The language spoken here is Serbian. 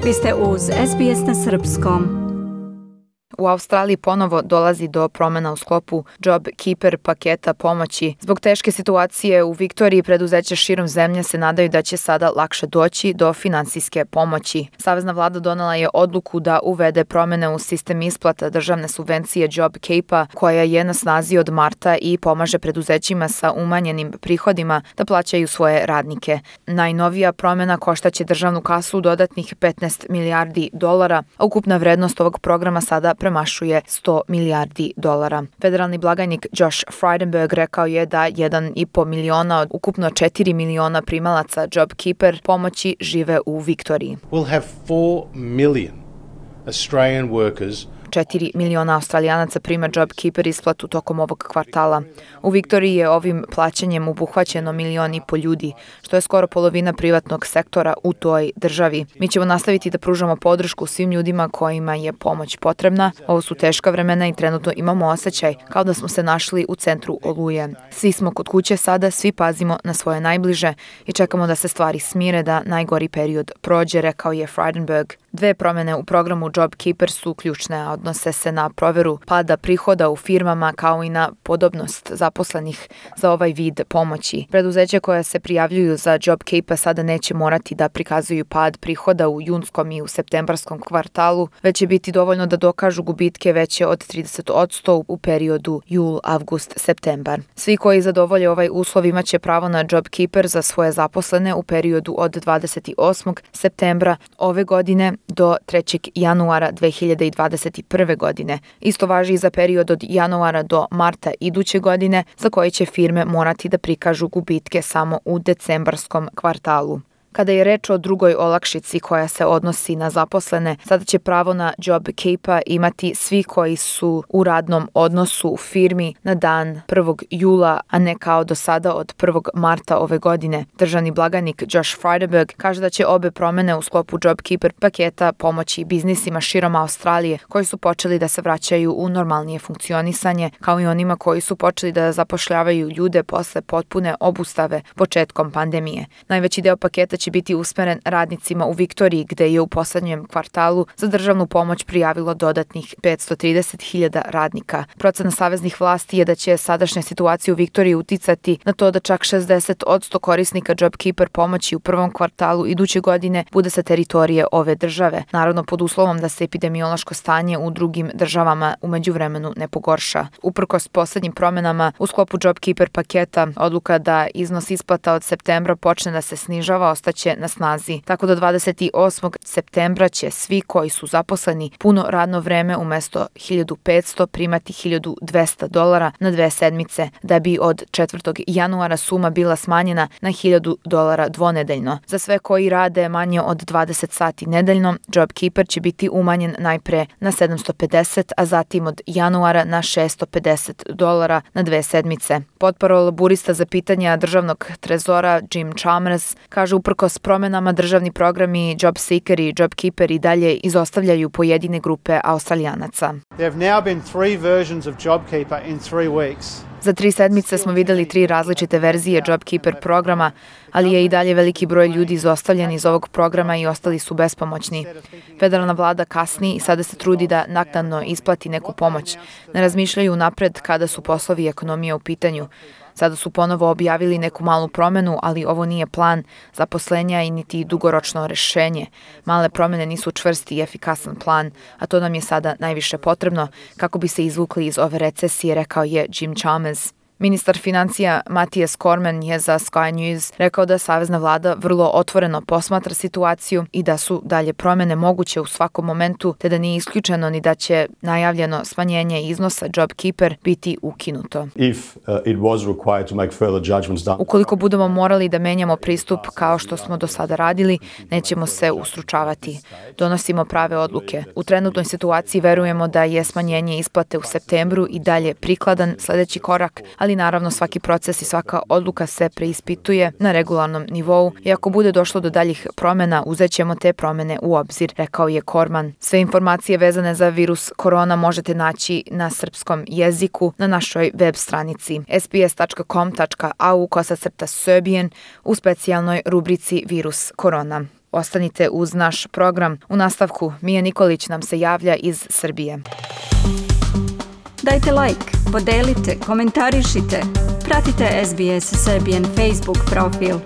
Vi ste uz SBS na srpskom. U Australiji ponovo dolazi do promjena u sklopu JobKeeper paketa pomoći. Zbog teške situacije u Viktoriji, preduzeća širom zemlje se nadaju da će sada lakše doći do finansijske pomoći. Savezna vlada donela je odluku da uvede promjene u sistem isplata državne subvencije JobKeeper, koja je na snazi od marta i pomaže preduzećima sa umanjenim prihodima da plaćaju svoje radnike. Najnovija promjena koštaće državnu kasu dodatnih $15 milijardi, a ukupna vrednost ovog programa sada premašuje $100 milijardi. Federalni blagajnik Josh Frydenberg rekao je da 1,5 miliona od ukupno 4 miliona primalaca JobKeeper pomoći žive u Viktoriji. We'll have 4 million Australian workers 4 miliona Australijanaca prima JobKeeper isplatu tokom ovog kvartala. U Viktoriji je ovim plaćanjem obuhvaćeno 1,5 miliona ljudi, što je skoro polovina privatnog sektora u toj državi. Mi ćemo nastaviti da pružamo podršku svim ljudima kojima je pomoć potrebna. Ovo su teška vremena i trenutno imamo osjećaj kao da smo se našli u centru oluje. Svi smo kod kuće sada, svi pazimo na svoje najbliže i čekamo da se stvari smire, da najgori period prođe, rekao je Frydenberg. 2 promjene u programu JobKeeper su ključne, a odnose se na provjeru pada prihoda u firmama kao i na podobnost zaposlenih za ovaj vid pomoći. Preduzeća koja se prijavljuju za JobKeeper sada neće morati da prikazuju pad prihoda u junskom i u septembarskom kvartalu, već će biti dovoljno da dokažu gubitke veće od 30% u periodu jul, avgust, septembar. Svi koji zadovolje ovaj uslov imaće pravo na JobKeeper za svoje zaposlene u periodu od 28. septembra ove godine do 3. januara 2021. godine. Isto važi i za period od januara do marta iduće godine, za koje će firme morati da prikažu gubitke samo u decembarskom kvartalu. Kada je reč o drugoj olakšici koja se odnosi na zaposlene, sada će pravo na JobKeeper imati svi koji su u radnom odnosu u firmi na dan 1. jula, a ne kao do sada od 1. marta ove godine. Državni blagajnik Josh Frydenberg kaže da će obe promjene u sklopu JobKeeper paketa pomoći biznisima širom Australije koji su počeli da se vraćaju u normalnije funkcionisanje, kao i onima koji su počeli da zapošljavaju ljude posle potpune obustave početkom pandemije. Najveći deo paketa će biti usmeren radnicima u Viktoriji, gde je u poslednjem kvartalu za državnu pomoć prijavilo dodatnih 530.000 radnika. Procena saveznih vlasti je da će sadašnja situacija u Viktoriji uticati na to da čak 60% korisnika JobKeeper pomoći u prvom kvartalu iduće godine bude sa teritorije ove države, naravno pod uslovom da se epidemiološko stanje u drugim državama u međuvremenu ne pogorša. Uprkos poslednjim promjenama u sklopu JobKeeper paketa, odluka da iznos isplata od septembra počne da se snižava ostaće na snazi. Tako do 28. septembra će svi koji su zaposleni puno radno vreme umesto 1.500 primati $1.200 na 2 sedmice, da bi od 4. januara suma bila smanjena na $1.000 dvonedeljno. Za sve koji rade manje od 20 sati nedeljno, JobKeeper će biti umanjen najpre na $750, a zatim od januara na $650 na 2 sedmice. Potparol laburista za pitanja državnog trezora Jim Chalmers kaže uprkos promjenama državni programi JobSeeker i JobKeeper i dalje izostavljaju pojedine grupe Australijanaca. There have now been 3 versions of JobKeeper in 3 weeks. Za 3 sedmice smo videli 3 različite verzije JobKeeper programa, ali je i dalje veliki broj ljudi izostavljen iz ovog programa i ostali su bespomoćni. Federalna vlada kasni i sada se trudi da naknadno isplati neku pomoć. Ne razmišljaju napred kada su poslovi i ekonomija u pitanju. Sada su ponovo objavili neku malu promjenu, ali ovo nije plan zaposlenja i niti dugoročno rešenje. Male promjene nisu čvrsti i efikasan plan, a to nam je sada najviše potrebno kako bi se izvukli iz ove recesije, rekao je Jim Chalmers. Ministar financija Matthias Cormann je za Sky News rekao da savezna vlada vrlo otvoreno posmatra situaciju i da su dalje promjene moguće u svakom momentu, te da nije isključeno ni da će najavljeno smanjenje iznosa JobKeeper biti ukinuto. Ukoliko budemo morali da menjamo pristup kao što smo do sada radili, nećemo se ustručavati. Donosimo prave odluke. U trenutnoj situaciji verujemo da je smanjenje isplate u septembru i dalje prikladan sledeći korak, ali naravno svaki proces i svaka odluka se preispituje na regularnom nivou i ako bude došlo do daljih promjena, uzet ćemo te promjene u obzir, rekao je Cormann. Sve informacije vezane za virus korona možete naći na srpskom jeziku na našoj web stranici sbs.com.au/serbian u specijalnoj rubrici Virus korona. Ostanite uz naš program. U nastavku Mija Nikolić nam se javlja iz Srbije. Dajte like, podelite, komentarišite. Pratite SBS Serbian Facebook profil.